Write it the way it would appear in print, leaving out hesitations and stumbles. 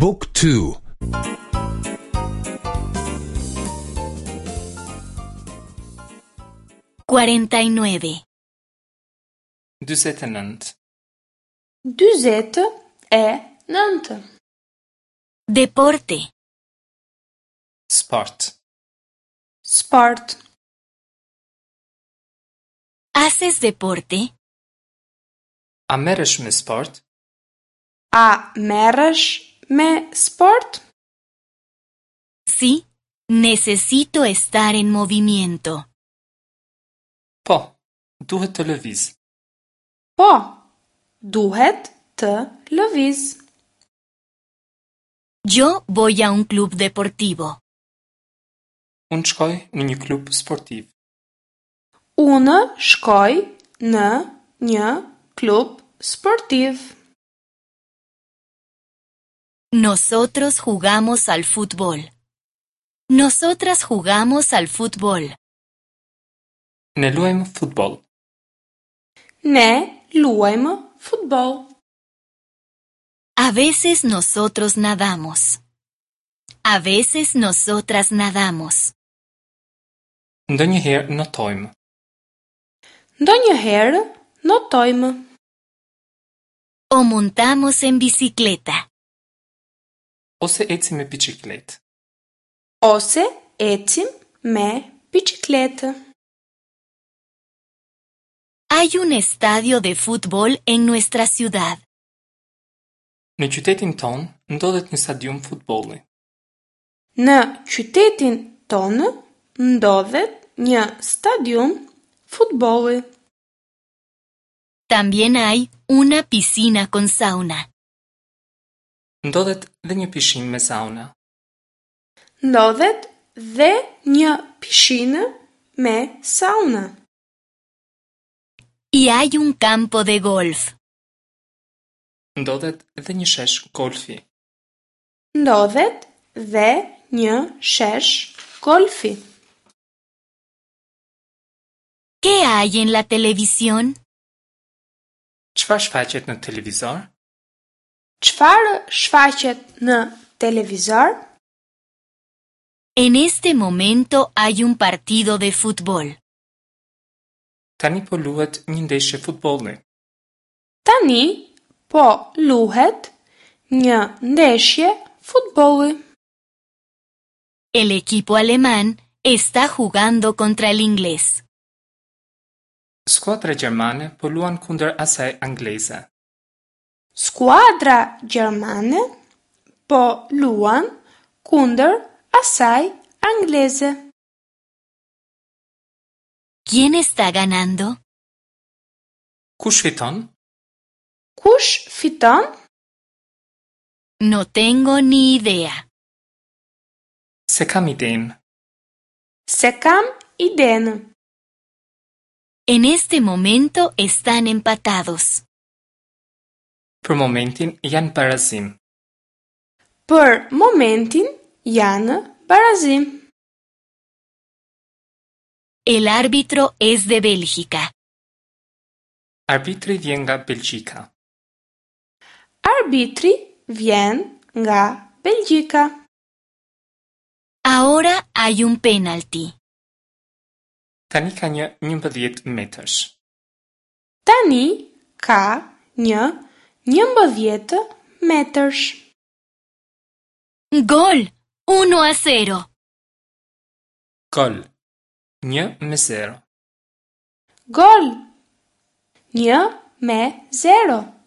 บุ๊กทู 49. 49. 49. Deporte. Sport. Sport. ¿Haces deporte? A merresh me sport? A merresh me sport? Sí, necesito estar en movimiento. Po, duhet të lëviz. Po, duhet të lëviz. Yo voy a un club deportivo. Unë shkoj në një klub sportiv. Unë shkoj në një klub sportiv. Nosotros jugamos al fútbol. Nosotras jugamos al fútbol. Ne luajmë futboll. Ne luajmë futboll. A veces nosotros nadamos. A veces nosotras nadamos. Ndonjëherë notojmë. Ndonjëherë notojmë. O montamos en bicicleta. Ose ecim me biçikletë. Ose ecim me biçikletë. Hay un estadio de fútbol en nuestra ciudad. Në qytetin tonë ndodhet një stadium futbolli. Në qytetin tonë ndodhet një stadium futbolli. También hay una piscina con sauna. Ndodhet dhe një pishinë me sauna. Ndodhet dhe një pishinë me sauna. Y hay un campo de golf. Ndodhet dhe një shesh golfi. Ndodhet dhe një shesh golfi. ¿Qué hay en la televisión? Çfarë shfaqet në televizor? Çfarë shfaqet në televizor? En este momento hay un partido de fútbol. Tani po luhet një ndeshje futbolli. Tani po luhet një ndeshje futbolli. El equipo alemán está jugando contra el inglés. Skuadra gjermane po luan kundër asaj angleze. Skuadra gjermane po luan kundër asaj angleze. ¿Quién está ganando? Kush fiton? Kush fiton? No tengo ni idea. Se kam idenë. Se kam idenë. En este momento están empatados. Për momentin janë barazim. Për momentin janë barazim. El árbitro es de Bélgica. Arbitri vjen nga Belgjika. Arbitri vjen nga Belgjika. Ahora hay un penalti. Tani ka një 11 metërsh. Tani ka një 11 metërsh. Gol! 1 a 0. Gol. 1 me 0. Gol! 1 me 0.